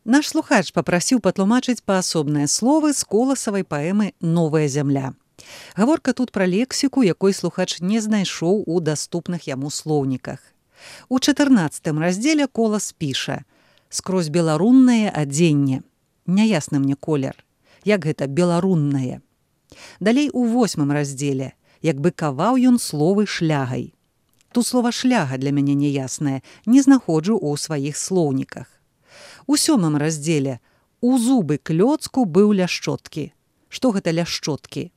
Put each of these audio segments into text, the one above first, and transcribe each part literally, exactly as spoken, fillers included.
Наш слухач папрасіў патлумачыць паасобныя словы з коласавай паэмы «Новая зямля». Гаворка тут пра лексіку, якой слухач не знайшоў у даступных яму слоўніках. У чатырнаццатым раздзеле Колас піша: «Скрозь беларуннае адзенне». Няясны мне колер. Як гэта беларуннае? Далей у восьмым раздзеле. Як бы каваў ён словы шлягай. Тут слова «шляга» для мяне няяснае, не знаходжу ў сваіх слоўніках. У сёмым раздзеле «У зубы клёцку быў ляшчоткі». Што гэта ляшчоткі?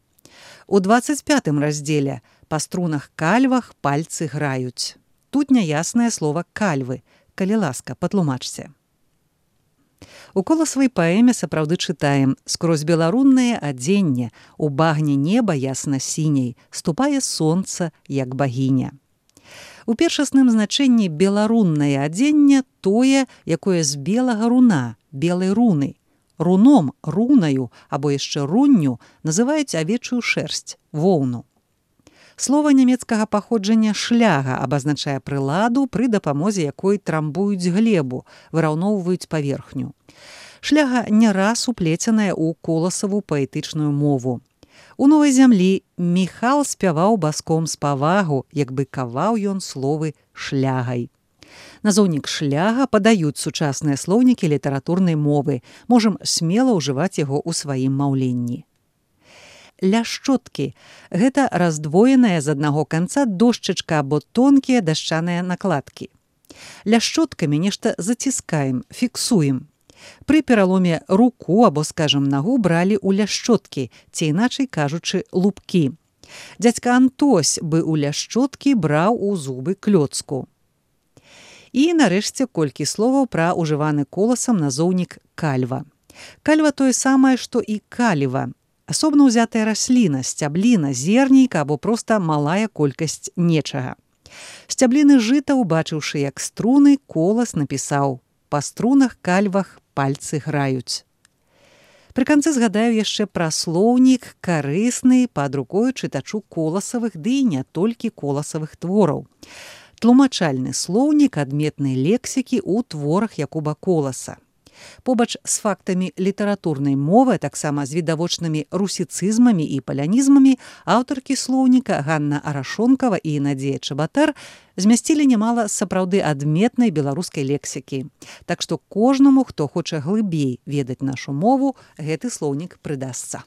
У дваццаць пятым раздзеле «Па струнах кальвах пальцы граюць». Тут няяснае слова «кальвы». Калі ласка, патлумачце. У коласавай паэме сапраўды чытаем: «Скрозь беларуннае адзенне, у багне неба ясна-сіняй, ступае сонца, як багіня». У першасным значэнні беларуннае адзенне тое, якое з белага руна, белай руны. Руном, рунаю або яшчэ рунню называюць авечую шэрсць, воўну. Слова нямецкага паходжання «шляга» абазначае прыладу, пры дапамозе якой трамбуюць глебу, выраўноўваюць паверхню. Шляга не раз уплеценая ў коласаву паэтычную мову. У «Новай зямлі» Міхал спяваў баском з павагу, як бы каваў ён словы «шлягай». Назоўнік «шляга» падаюць сучасныя слоўнікі літаратурнай мовы. Можам смела ўжываць яго ў сваім маўленні. Ляшчоткі – гэта раздвоеная з аднаго канца дошчачка або тонкія дашчаныя накладкі. Ляшчоткамі нешта заціскаем, фіксуем. Пры пераломе руку або, скажам, нагу бралі ў ляшчоткі, ці іначай кажучы, лупкі. Дзядзька Антось бы ў ляшчоткі браў у зубы клёцку. І, нарэшце, колькі словаў пра ўжываны коласам назоўнік кальва. Кальва тое самае, што і каліва. Асобна ўзятая расліна, сцябліна, зернейка або проста малая колькасць нечага. Сцябліны жыта, убачыўшы як струны, Колас напісаў: «Па струнах кальвах пальцы граюць». Пры канцы згадаю яшчэ пра слоўнік, карысны пад рукою чытачу коласавых, ды і не толькі коласавых твораў. Тлумачальны слоўнік адметнай лексікі ў творах Якуба Коласа. Побач з фактамі літаратурнай мовы, таксама з відавочнымі русіцызмамі і палянізмамі, аўтаркі слоўніка Ганна Арашонкава і Надзея Чабатар змясцілі нямала сапраўды адметнай беларускай лексікі. Так што кожнаму, хто хоча глыбей ведаць нашу мову, гэты слоўнік прыдасца.